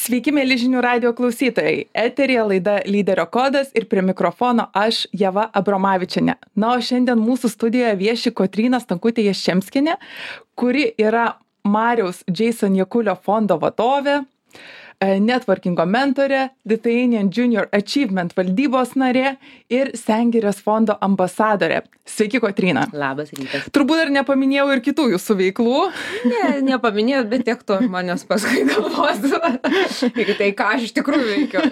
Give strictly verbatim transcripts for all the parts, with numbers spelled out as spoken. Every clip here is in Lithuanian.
Sveiki, mėly žinių radio klausytojai. Eterija laida Lyderio kodas ir prie mikrofono aš, Ieva Abromavičienė. Na, o šiandien mūsų studijoje vieši Kotryna Stankutė Jaščemskienė, kuri yra Mariaus Jason Jakulio fondo vadovė, networkingo mentorė, Lithuanian Junior Achievement valdybos narė ir Sengirės fondo ambasadorė. Sveiki, Kotryna. Labas rytas. Turbūt dar nepaminėjau ir kitų jūsų veiklų. Ne, nepaminėjau, bet tiek to žmonės paskui galvos. Ir tai, ką aš iš tikrųjų veikiu.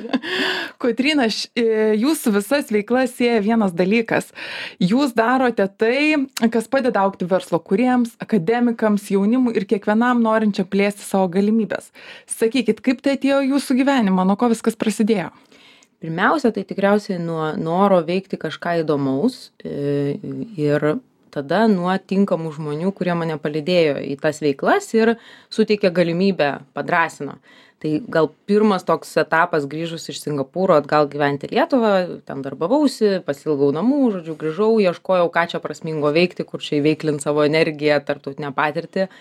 Kotryna, jūsų visas veiklas sieja vienas dalykas. Jūs darote tai, kas padeda augti verslo kūrėjams, akademikams, jaunimui ir kiekvienam norinčiam plėsti savo galimybės. Sakykit, kaip tai atėjo jūsų gyvenimą, nuo ko viskas prasidėjo? Pirmiausia, tai tikriausiai nuo noro veikti kažką įdomaus ir tada nuo tinkamų žmonių, kurie mane palydėjo į tas veiklas ir suteikė galimybę, padrąsino. Tai gal pirmas toks etapas grįžus iš Singapūro atgal gyventi Lietuvą, ten darbavausi, pasilgau namų, žodžiu, grįžau, ieškojau, ką čia prasmingo veikti, kur čia įveiklint savo energiją, tarptautinę patirtį.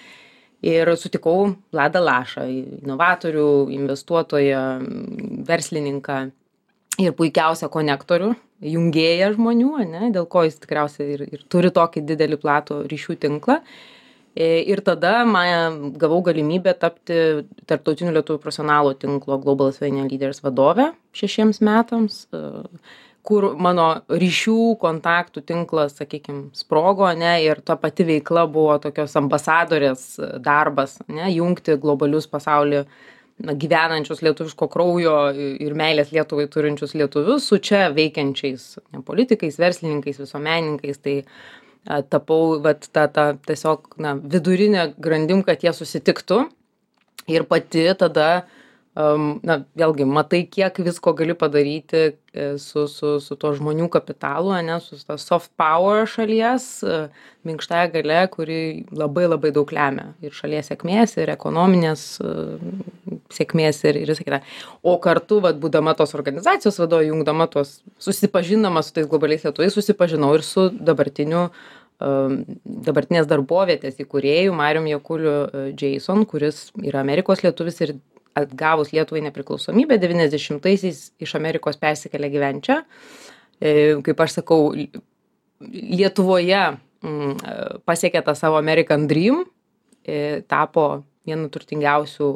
Ir sutikau Vladą Lašą, inovatorių, investuotoją, verslininką ir puikiausią konektorių, jungėją žmonių, ne, dėl ko jis tikriausiai ir, ir turi tokį didelį platų ryšių tinklą. Ir tada man gavau galimybę tapti tarptautinių lietuvių profesionalų tinklo Global Lithuanian Leaders vadove šešiems metams, kur mano ryšių, kontaktų tinklas, sakykime, sprogo, ne, ir ta pati veikla buvo tokios ambasadorės darbas, ne, jungti globalius pasaulį na, gyvenančius lietuviško kraujo ir meilės Lietuvai turinčius lietuvius su čia veikiančiais ne, politikais, verslininkais, visuomenininkais. Tai a, tapau vat, ta, ta, tiesiog na, vidurinė grandim, kad jie susitiktų ir pati tada Um, na, vėlgi, matai, kiek visko gali padaryti su, su, su to žmonių kapitalu, ne, su to soft power šalies, minkštąja galia, kuri labai labai daug lemia ir šalies sėkmės, ir ekonominės sėkmės, ir, ir visą kitą. O kartu, vat, būdama tos organizacijos vadovė, jungdama tos, susipažindama su tais globaliais lietuviais, susipažinau ir su dabartiniu um, dabartinės darbovietės įkūrėju Marium Jakuliu Jason, kuris yra Amerikos lietuvis ir atgavus Lietuvai nepriklausomybę, devyniasdešimtaisiais iš Amerikos persikėlė gyventi čia. Kaip aš sakau, Lietuvoje pasiekė tą savo American Dream, tapo vienu turtingiausių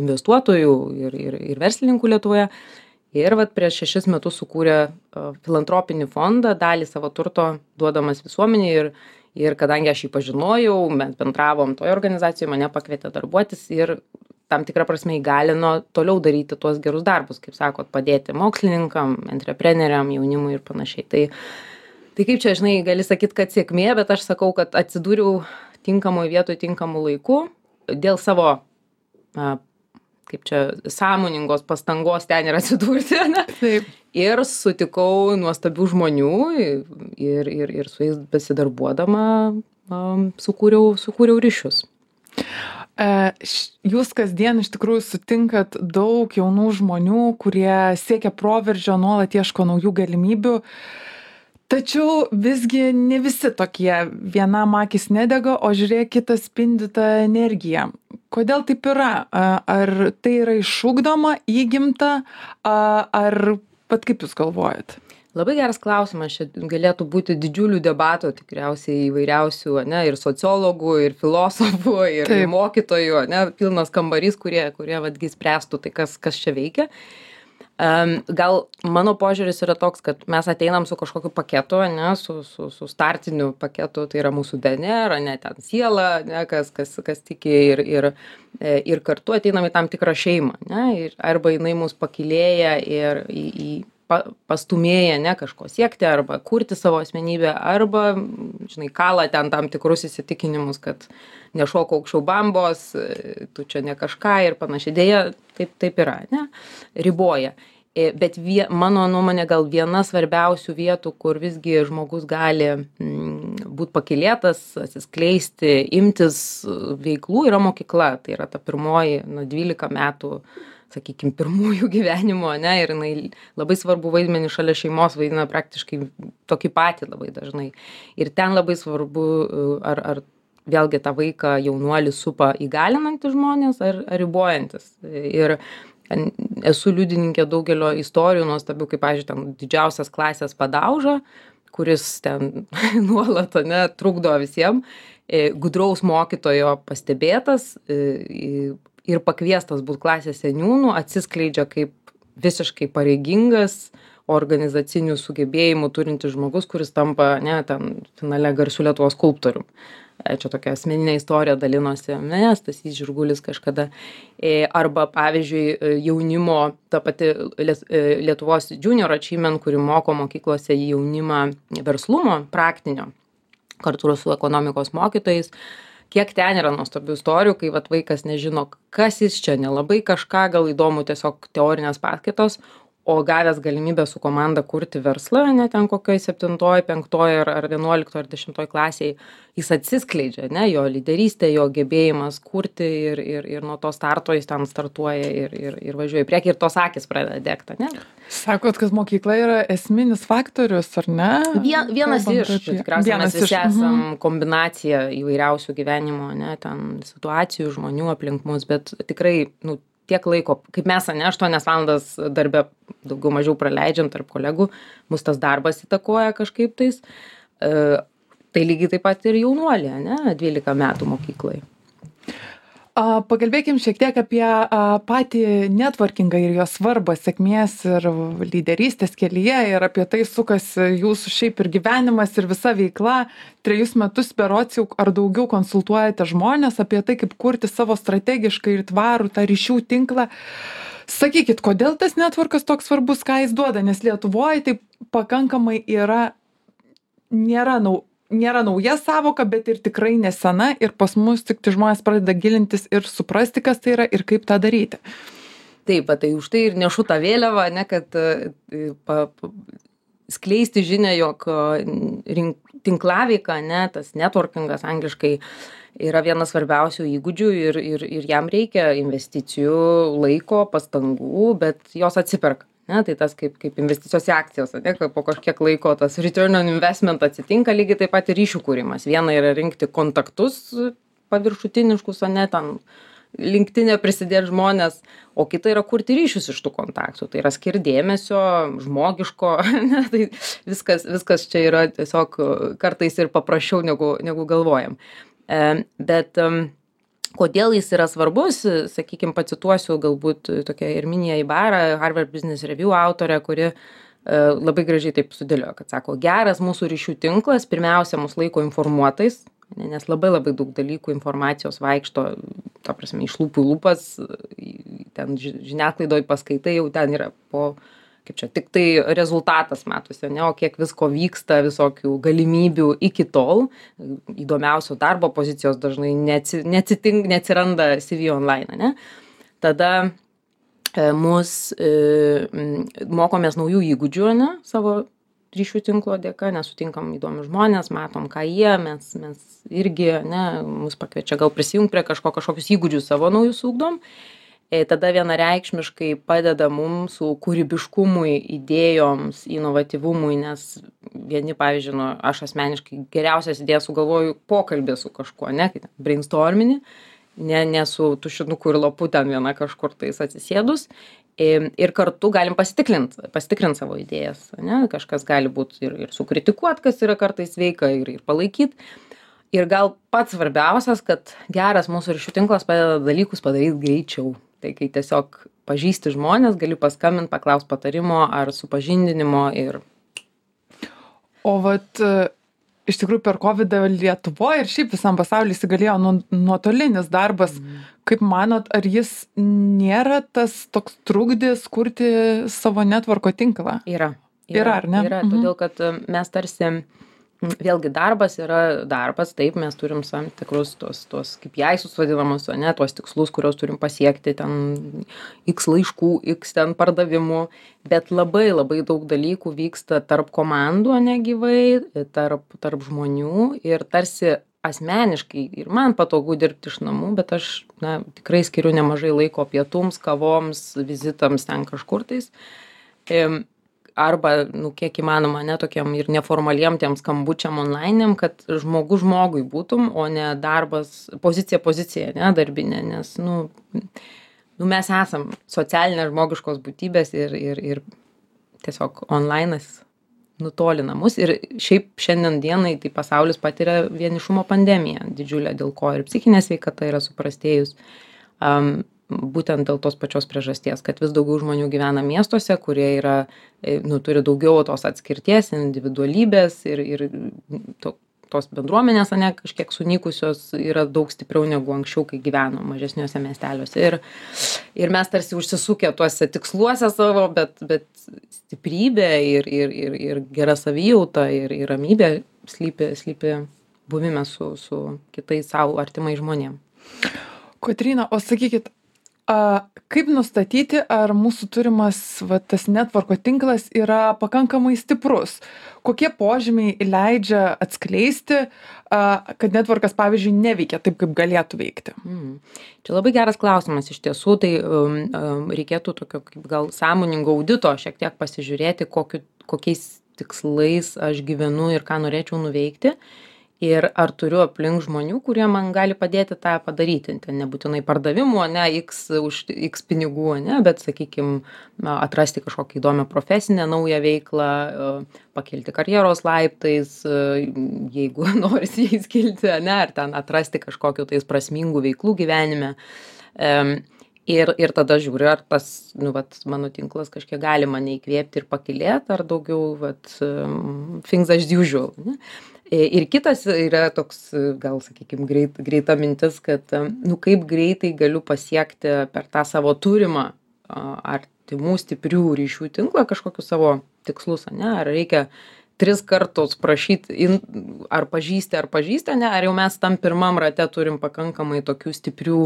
investuotojų ir, ir, ir verslininkų Lietuvoje. Ir vat prieš šešis metus sukūrė filantropinį fondą, dalį savo turto duodamas visuomeniai. Ir, ir kadangi aš jį pažinojau, mes bendravom toje organizacijoje, mane pakvietė darbuotis ir tam tikrą prasme įgalino toliau daryti tuos gerus darbus, kaip sakot, padėti mokslininkam, entrepreneriam, jaunimui ir panašiai. Tai, tai kaip čia, žinai, gali sakyti, kad sėkmė, bet aš sakau, kad atsidūriau tinkamoje vietoje, tinkamų laikų dėl savo, na, kaip čia, sąmoningos pastangos ten ir atsidurti, ne? Taip. Ir sutikau nuostabių žmonių ir, ir, ir su jais besidarbuodama um, sukūriau, sukūriau ryšius. Jūs kasdien iš tikrųjų sutinkat daug jaunų žmonių, kurie siekia proveržio, nuolat ieško naujų galimybių, tačiau visgi ne visi tokie, vienam akis nedega, o žiūrėk, kitas spindi tą energiją. Kodėl taip yra? Ar tai yra išugdoma, įgimta, ar pat kaip jūs galvojat? Labai geras klausimas, čia galėtų būti didžiulių debatų tikriausiai įvairiausių, ne, ir sociologų, ir filosofų, ir Taip. mokytojų, ne, pilnas kambarys, kurie, kurie vadgi spręstų tai, kas, kas čia veikia. Um, gal mano požiūris yra toks, kad mes ateinam su kažkokiu paketu, ne, su, su, su startiniu paketu, tai yra mūsų D N R, ne, ten siela, ne, kas, kas, kas tiki ir, ir, ir kartu ateinam į tam tikrą šeimą, ne, ir arba jinai mus pakylėja ir į, į pastumėja, ne, kažko siekti arba kurti savo asmenybę, arba, žinai, kala ten tam tikrus įsitikinimus, kad nešok aukščiau bambos, tu čia ne kažką ir panašiai. Dėja, taip, taip yra, ne, riboja. Bet vie, mano nuomonė gal viena svarbiausių vietų, kur visgi žmogus gali mm, būti pakylėtas, atsiskleisti, imtis veiklų, yra mokykla. Tai yra ta pirmoji, nuo dvylika metų, sakykime, pirmųjų gyvenimo, ne, ir jinai labai svarbu vaidmenį šalia šeimos vaidina praktiškai tokį patį labai dažnai. Ir ten labai svarbu, ar, ar vėlgi tą vaiką, jaunuolį supa įgalinantys žmonės ar, ar ribojantis. Ir esu liudininkė daugelio istorijų nuostabių, kaip, pavyzdžiui, ten didžiausias klasės padauža, kuris ten nuolat, ne, trukdo visiems, gudraus mokytojo pastebėtas ir pakviestas būt klasės seniūnų, atsiskleidžia kaip visiškai pareigingas, organizacinių sugebėjimų turintis žmogus, kuris tampa, ne, ten finale garsių Lietuvos skulptorium. Čia tokia asmeninė istorija dalinosi, ne, Stasys Žirgulis kažkada. Arba, pavyzdžiui, jaunimo, ta pati Lietuvos Junior Achievement, kuri moko mokyklose jaunimą verslumo praktinio, kartu su ekonomikos mokytojais. Kiek ten yra nuostabių istorijų, kai vat vaikas nežino, kas jis čia, nelabai kažką, gal įdomu tiesiog teorinės paskaitos, o gavęs galimybę su komanda kurti verslą, ne ten kokioj septintoj, penktoj ar, ar vienuoliktoj ar dešimtoj klasėj, jis atsiskleidžia, ne, jo lyderystė, jo gebėjimas kurti ir, ir, ir nuo to starto jis ten startuoja ir, ir, ir važiuoja į priekį ir tos akys pradeda degti, ne? Sakot, kad mokykla yra esminis faktorius, ar ne? Vien, vienas Kalbant iš, apie- tikriausiai vienas mes visi iš, esam mhm. kombinacija įvairiausių gyvenimo, ne, ten situacijų, žmonių aplink mus, bet tikrai, nu, tiek laiko, kaip mes, ne, aštuonias valandas darbe daugiau mažiau praleidžiam tarp kolegų, mus tas darbas įtakoja kažkaip tais. E, tai lygiai taip pat ir jaunuolė, ne, dvylika metų mokyklai. A, pakalbėkim šiek tiek apie a, patį networkingą ir jo svarbą sėkmės ir lyderystės kelyje ir apie tai sukasi jūsų šiaip ir gyvenimas ir visa veikla. Trejus metus berods jau ar daugiau konsultuojate žmonės apie tai, kaip kurti savo strategiškai ir tvarų tą ryšių tinklą. Sakykit, kodėl tas networkas toks svarbus, ką jis duoda, nes Lietuvoje tai pakankamai yra, nėra nau, nėra nauja savoka, bet ir tikrai nesena ir pas mus tik tai žmonės pradeda gilintis ir suprasti, kas tai yra ir kaip tą daryti. Taip, tai už tai ir nešu tą vėliavą, ne, kad pa, pa, skleisti žinią, jog rink, tinklaveika, ne, tas networkingas angliškai yra vienas svarbiausių įgūdžių ir, ir, ir jam reikia investicijų, laiko, pastangų, bet jos atsiperka. Ne, tai tas kaip, kaip investicijos į akcijas, ne, po kažkiek laiko tas return on investment atsitinka, lygiai taip pat ir ryšių kūrimas. Viena yra rinkti kontaktus paviršutiniškus, o ne ten LinkedIn'e prisidėti žmonės, o kita yra kurti ryšius iš tų kontaktų. Tai yra skirti dėmesio, žmogiško, ne, tai viskas, viskas čia yra tiesiog kartais ir paprasčiau negu, negu galvojam. E, bet um, kodėl jis yra svarbus, sakykime, pacituosiu galbūt tokia Irminija Ibarra, Harvard Business Review autorė, kuri e, labai gražiai taip sudėliojo, kad sako, geras mūsų ryšių tinklas pirmiausia mus laiko informuotais, nes labai labai daug dalykų informacijos vaikšto, ta prasme, iš lūpų į lūpas, ten žiniasklaidoj paskaitai jau ten yra po, kaip čia, tik tai rezultatas matosi, ne, o kiek visko vyksta, visokių galimybių iki tol, įdomiausio darbo pozicijos dažnai neatsitink, neatsiranda C V online, ne. Tada e, mus e, mokomės naujų įgūdžių, ne, savo ryšių tinklo dėka, nes sutinkam įdomius žmonės, matom, ką jie, mes, mes irgi, ne, mus pakviečia gal prisijungti prie kažko, kažkokius įgūdžius savo naujus ugdom. E, tada vienareikšmiškai padeda mums su kūrybiškumui, idėjoms, inovatyvumui, nes vieni, pavyzdžiui, nu, aš asmeniškai geriausias idėjas sugalvoju pokalbį su kažkuo, ne, kai brainstorminį, ne, ne su tušinuku ir lapu ten viena kažkur tais atsisėdus. Ir kartu galim pasitikrinti pasitikrint savo idėjas, ne? Kažkas gali būti ir, ir sukritikuot, kas yra kartais sveika, ir, ir palaikyti. Ir gal pats svarbiausias, kad geras mūsų ryšių tinklas padeda dalykus padaryti greičiau. Tai kai tiesiog pažįsti žmonės, gali paskambinti, paklausti patarimo ar supažindinimo. Ir... O vat iš tikrųjų per kovidą Lietuvoje ir šiaip visam pasaulyje įsigalėjo nu, nuotolinis darbas. Mm. Kaip manot, ar jis nėra tas toks trukdis kurti savo networko tinklą? Yra. Yra, yra ar ne? Yra, mhm. Todėl kad mes tarsi, vėlgi darbas yra darbas, taip, mes turim tam tikrus tos, tos K P I's vadinamus, ne, tuos tikslus, kuriuos turim pasiekti, ten X laiškų, X ten pardavimų, bet labai labai daug dalykų vyksta tarp komandų, ne gyvai, tarp, tarp žmonių ir tarsi asmeniškai ir man patogu dirbti iš namų, bet aš na, tikrai skiriu nemažai laiko pietums, kavoms, vizitams ten kažkur tais. arba, nu, kiek įmanoma, ne tokiam ir neformaliem tiem skambučiam online'im, kad žmogus žmogui būtum, o ne darbas, pozicija pozicija, ne, darbinė, nes, nu, nu, mes esam socialinės žmogiškos būtybės ir, ir, ir tiesiog online'as nutolina mus. Ir šiaip šiandien dienai tai pasaulis patiria vienišumo pandemiją didžiulę, dėl ko ir psichinė sveikata yra suprastėjus. Um, būtent dėl tos pačios priežasties, kad vis daugiau žmonių gyvena miestuose, kurie yra, nu, turi daugiau tos atskirties, individualybės ir, ir to, tos bendruomenės, ane, kažkiek sunykusios yra daug stipriau negu anksčiau, kai gyveno mažesniuose miesteliuose. Ir, ir mes tarsi užsisukę tuose tiksluose savo, bet, bet stiprybė ir, ir, ir, ir gera savijauta ir, ir ramybė slypi, slypi buvime su, su kitais savo artimai žmonėm. Kotryna, o sakykit, a, kaip nustatyti, ar mūsų turimas va, tas netvorko tinklas yra pakankamai stiprus? Kokie požymiai leidžia atskleisti, a, kad netvorkas, pavyzdžiui, neveikia taip, kaip galėtų veikti? Mm. Čia labai geras klausimas iš tiesų, tai um, um, reikėtų tokio kaip gal sąmoningo audito šiek tiek pasižiūrėti, kokiu, kokiais tikslais aš gyvenu ir ką norėčiau nuveikti. Ir ar turiu aplink žmonių, kurie man gali padėti tą padaryti. Ten nebūtinai pardavimų, ne, X už X pinigų, ne, bet, sakykime, atrasti kažkokią įdomią profesinę naują veiklą, pakelti karjeros laiptais, jeigu norisi jais kilti, ne, ar ten atrasti kažkokiu tais prasmingų veiklų gyvenime. Ir, ir tada žiūri, ar tas, nu, vat, mano tinklas kažkiek gali mane įkvėpti ir pakilėti, ar daugiau, vat, things as usual, ne. Ir kitas yra toks, gal, sakykime, greit, greita mintis, kad, nu, kaip greitai galiu pasiekti per tą savo turimą artimų stiprių ryšių tinklą kažkokius savo tikslus, ne? Ar reikia tris kartus prašyti, ar pažįsti, ar pažįsti, ne? Ar jau mes tam pirmam rate turim pakankamai tokių stiprių,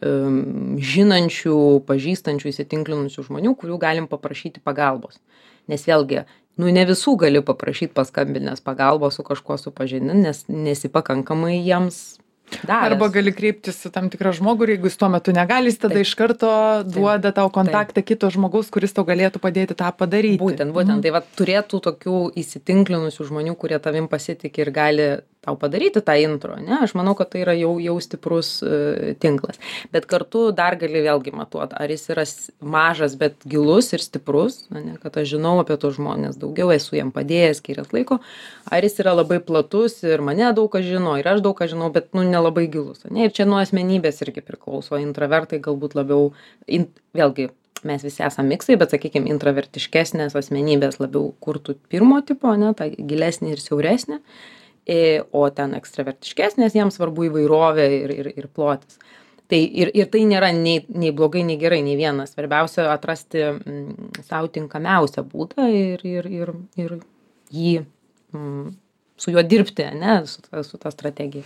um, žinančių, pažįstančių, įsitinklinusių žmonių, kurių galim paprašyti pagalbos. Nes vėlgi, nu, ne visų gali paprašyti paskambinės pagalbos su kažkuo supažindinti, nes nesi pakankamai jiems davęs. Arba gali kreiptis su tam tikrą žmogų ir jeigu jis tuo metu negali, jis tada Taip. Iš karto duoda tau kontaktą Taip. Kito žmogaus, kuris tau galėtų padėti tą padaryti. Būtent, būtent. Mm. Tai va, turėtų tokių įsitinklinusių žmonių, kurie tavim pasitikė ir gali tau padaryti tą intro, ne? Aš manau, kad tai yra jau, jau stiprus uh, tinklas. Bet kartu dar gali vėlgi matuoti, ar jis yra mažas, bet gilus ir stiprus, ne? Kad aš žinau apie tos žmonės daugiau, esu jam padėjęs, skyręs laiko, ar jis yra labai platus ir mane daug kas žino, ir aš daug ką žinau, bet, nu, nelabai gilus, ne? Ir čia nuo asmenybės irgi priklauso, intravertai galbūt labiau, in, vėlgi, mes visi esame miksai, bet, sakykime, intravertiškesnės asmenybės labiau kurtų pirmo tipo, ne? Ta gilesnė ir siauresnė. O ten ekstravertiškesnės, jiems svarbu įvairovė ir, ir, ir plotis. Tai ir, ir tai nėra nei, nei blogai, nei gerai, nei vienas. Svarbiausia atrasti mm, savo tinkamiausią būdą ir, ir, ir, ir jį, mm, su juo dirbti, ne, su ta, su ta strategija.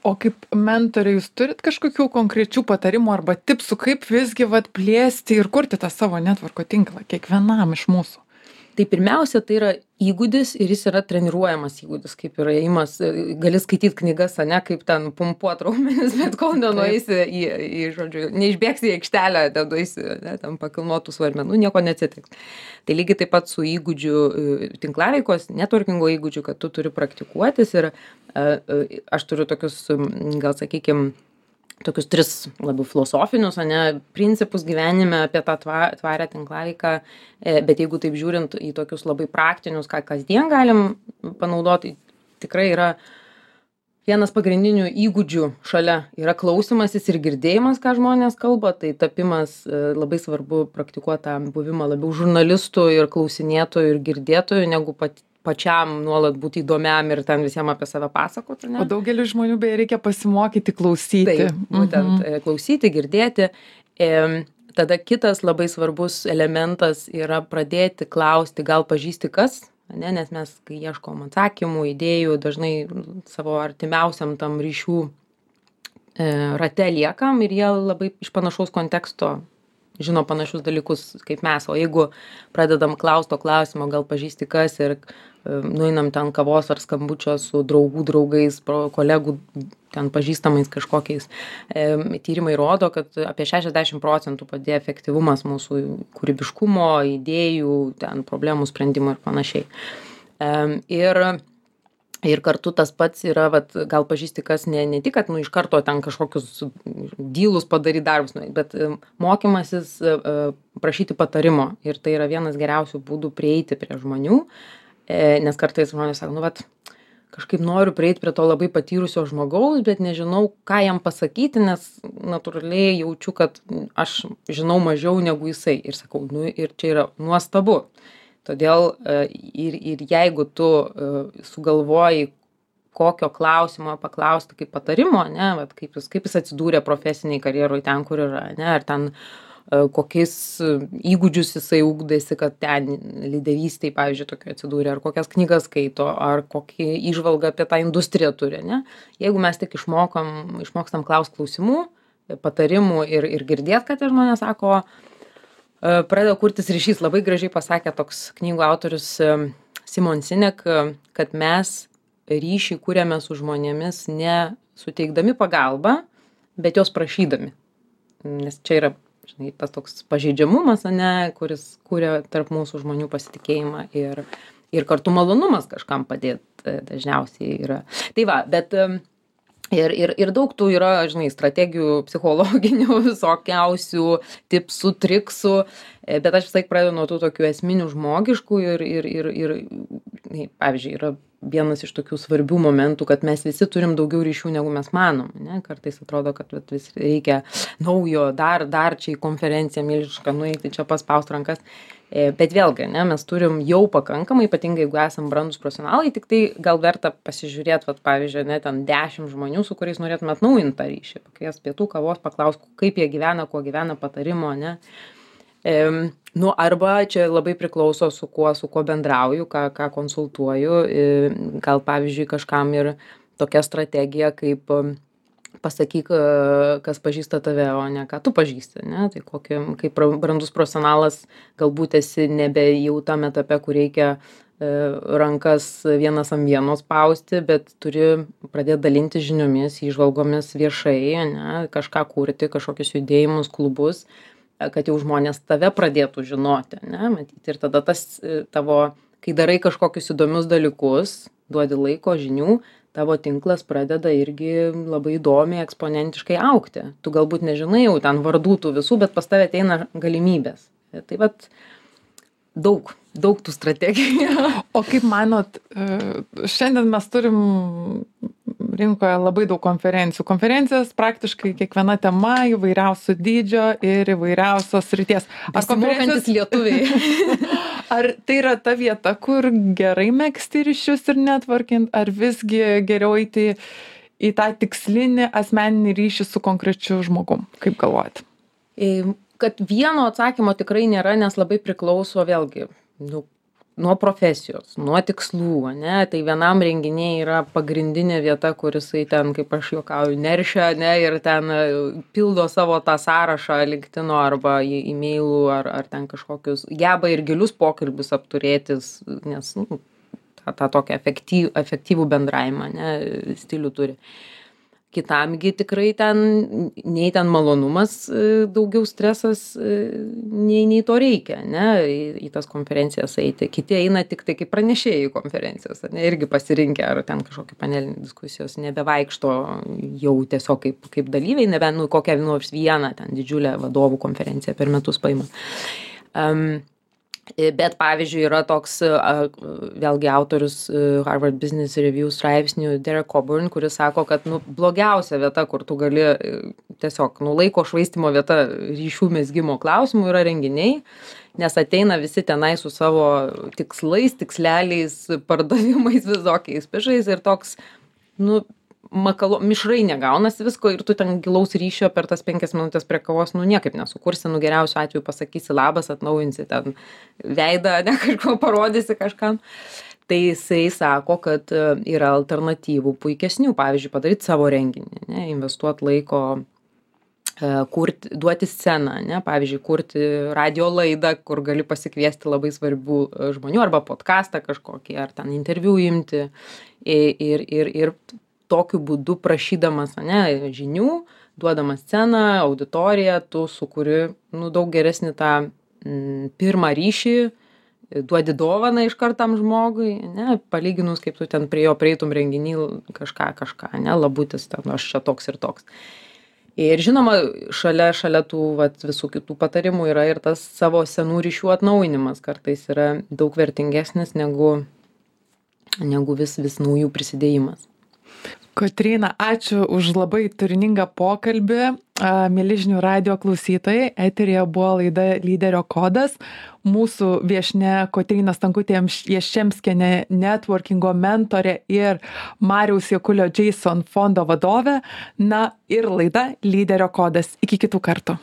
O kaip mentoriai, jūs turit kažkokių konkrečių patarimų arba tipsų, kaip visgi vat, plėsti ir kurti tą savo netvorko tinklą kiekvienam iš mūsų? Tai pirmiausia, tai yra įgūdis ir jis yra treniruojamas įgūdis, kaip yra įimas, gali skaityti knygas, ne, kaip ten pumpuot raumenis, bet kol nenueisi į, į, žodžiu, neišbėgsi į aikštelę, ten nueisi, ne, ten pakilnotų svarmenų, nieko neatsitiks. Tai lygiai taip pat su įgūdžių tinklaveikos, networkingo įgūdžių, kad tu turi praktikuotis ir aš turiu tokius, gal sakykime, tokius tris labiau filosofinius, ane, principus gyvenime apie tą tvarę tinklaveiką, bet jeigu taip žiūrint į tokius labai praktinius, ką kasdien galim panaudoti, tikrai yra vienas pagrindinių įgūdžių šalia yra klausymasis ir girdėjimas, ką žmonės kalba, tai tapimas labai svarbu praktikuoti tą buvimą labiau žurnalistų ir klausinėtojų ir girdėtojų, negu pat pačiam nuolat būti įdomiam ir ten visiems apie save pasakoti. Ne? O daugelį žmonių beje reikia pasimokyti klausyti. Taip, būtent mhm. klausyti, girdėti. E, tada kitas labai svarbus elementas yra pradėti klausti, gal pažįsti kas, ne? Nes mes, kai ieškom atsakymų, idėjų, dažnai savo artimiausiam tam ryšių e, rate liekam ir jie labai iš panašaus konteksto žino panašius dalykus kaip mes, o jeigu pradedam klausti to klausimo, gal pažįsti kas ir nueinam ten kavos ar skambučio su draugų draugais, kolegų ten pažįstamais kažkokiais. E, tyrimai rodo, kad apie šešiasdešimt procentų padėjo efektyvumas mūsų kūrybiškumo, idėjų, ten problemų sprendimo ir panašiai. E, ir, ir kartu tas pats yra, vat, gal pažįsti kas ne, ne tik, kad nu, iš karto ten kažkokius dylus padaryti darbus, bet mokymasis prašyti patarimo. Ir tai yra vienas geriausių būdų prieiti prie žmonių. Nes kartais žmonės sako, nu, vat, kažkaip noriu prieiti prie to labai patyrusio žmogaus, bet nežinau, ką jam pasakyti, nes natūraliai jaučiu, kad aš žinau mažiau negu jisai. Ir sakau, nu, ir čia yra nuostabu. Todėl ir, ir jeigu tu sugalvoji, kokio klausimo paklausti kaip patarimo, ne, vat, kaip, jis, kaip jis atsidūrė profesiniai karjeroj ten, kur yra, ne, ar ten kokiais įgūdžius jisai ugdėsi, kad ten lyderystėj, pavyzdžiui, tokio atsidūrė, ar kokias knygas skaito, ar kokį įžvalgą apie tą industriją turi, ne? Jeigu mes tik išmokam, išmokstam klaust klausimų, patarimų ir, ir girdėt, kad tie žmonės sako, pradeda kurtis ryšys. Labai gražiai pasakė toks knygų autorius Simon Sinek, kad mes ryšį kūrėme su žmonėmis ne suteikdami pagalbą, bet jos prašydami. Nes čia yra, žinai, tas toks pažeidžiamumas, ane, kuris kūrė tarp mūsų žmonių pasitikėjimą ir, ir kartu malonumas kažkam padėti dažniausiai yra. Tai va, bet ir, ir, ir daug tų yra, žinai, strategijų psichologinių, visokiausių tipsų, triksų, bet aš vis laik pradedu nuo tų tokių esminių žmogiškų ir, ir, ir, ir pavyzdžiui, yra vienas iš tokių svarbių momentų, kad mes visi turim daugiau ryšių, negu mes manom, ne? Kartais atrodo, kad vis reikia naujo, dar, dar čia į konferenciją milžišką nueiti, čia paspaust rankas. Bet vėlgi, ne, mes turim jau pakankamai, ypatingai jeigu esam brandūs profesionalai, tik tai gal verta pasižiūrėti, vat, pavyzdžiui, ne, ten dešimt žmonių, su kuriais norėtume atnaujinti tą ryšį, pakviest pietų, kavos, paklaust, kaip jie gyvena, kuo gyvena, patarimo, ne. E, nu, arba čia labai priklauso su kuo, su kuo bendrauju, ką, ką konsultuoju, e, gal pavyzdžiui kažkam ir tokia strategija, kaip pasakyk, kas pažįsta tave, o ne ką tu pažįsti, ne? Tai kokį, kaip brandus profesionalas, galbūt esi nebe jau tam etape, kur reikia e, rankas vienas ant vienos spausti, bet turi pradėti dalinti žiniomis, įžvalgomis viešai, ne? Kažką kurti, kažkokius judėjimus, klubus, kad jau žmonės tave pradėtų žinoti, ne? Matyti. Ir tada tas tavo, kai darai kažkokius įdomius dalykus, duodi laiko, žinių, tavo tinklas pradeda irgi labai įdomiai, eksponentiškai augti. Tu galbūt nežinai jau ten vardų tų visų, bet pas tave ateina galimybės. Tai vat daug, daug tų strategijų. O kaip manot, šiandien mes turim rinkoje labai daug konferencijų. Konferencijos praktiškai kiekviena tema įvairiausio dydžio ir įvairiausios srities. Ar konferencijos lietuviai? Ar tai yra ta vieta, kur gerai megzti ryšius ir networking, ar visgi geriau eiti į tą tikslinį asmeninį ryšį su konkrečiu žmogum? Kaip galvojat? Kad vieno atsakymo tikrai nėra, nes labai priklauso vėlgi nu, nuo profesijos, nuo tikslų, ne? Tai vienam renginiai yra pagrindinė vieta, kur jisai ten, kaip aš juokauju, neršia, ne? Ir ten pildo savo tą sąrašą LinkedIno arba e-mailų ar, ar ten kažkokius, geba ir gilius pokalbius apturėtis, nes nu, tą, tą tokią efektyvų, efektyvų bendravimą, ne? Stilių turi. Kitamgi tikrai ten, nei ten malonumas, daugiau stresas, nei, nei to reikia, ne, į, į tas konferencijas eiti. Kiti eina tik tai kaip pranešėjai į konferencijas, ne, irgi pasirinkę, ar ten kažkokie panelinės diskusijos, nebevaikšto jau tiesiog kaip, kaip dalyviai, nebe, nu, kokią nors vieną ten didžiulę vadovų konferenciją per metus paima. Um, Bet, pavyzdžiui, yra toks, vėlgi, autorius Harvard Business Review straipsnių Derek Coburn, kuris sako, kad nu, blogiausia vieta, kur tu gali tiesiog nu, laiko švaistimo vieta ryšių mezgimo klausimų yra renginiai, nes ateina visi tenai su savo tikslais, tiksleliais, pardavimais, visokiais pižais ir toks, nu, makalo, mišrai negaunasi visko ir tu ten gilaus ryšio per tas penkias minutės prie kavos, nu niekaip nesukursi, nu geriausiu atveju pasakysi labas, atnaujinsi ten veidą, ne kažko parodysi kažkam. Tai jisai sako, kad yra alternatyvų puikesnių, pavyzdžiui, padaryti savo renginį, ne, investuoti laiko kurti, duoti sceną, ne, pavyzdžiui, kurti radio laidą, kur gali pasikviesti labai svarbių žmonių, arba podcastą kažkokį, ar ten interviu imti. Ir, ir, ir tokiu būdu prašydamas, ne, žinių, duodamas sceną, auditoriją, tu sukuri, nu, daug geresnį tą m, pirmą ryšį, duodi dovaną iš kartam žmogui, ne, palyginus, kaip tu ten prie jo prieitum renginį kažką, kažką, ne, labutis, ten aš čia toks ir toks. Ir žinoma, šalia, šalia tų vat, visų kitų patarimų yra ir tas savo senų ryšių atnaujinimas kartais yra daug vertingesnis negu, negu vis, vis naujų prisidėjimas. Kotryna, ačiū už labai turiningą pokalbį. Mieli žinių radijo klausytojai, eteryje buvo laida Lyderio kodas. Mūsų viešnia Kotryna Stankutė Jaščemskienė, networkingo mentorė ir Mariaus Jakulio Jason fondo vadovė. Na ir laida Lyderio kodas. Iki kitų kartų.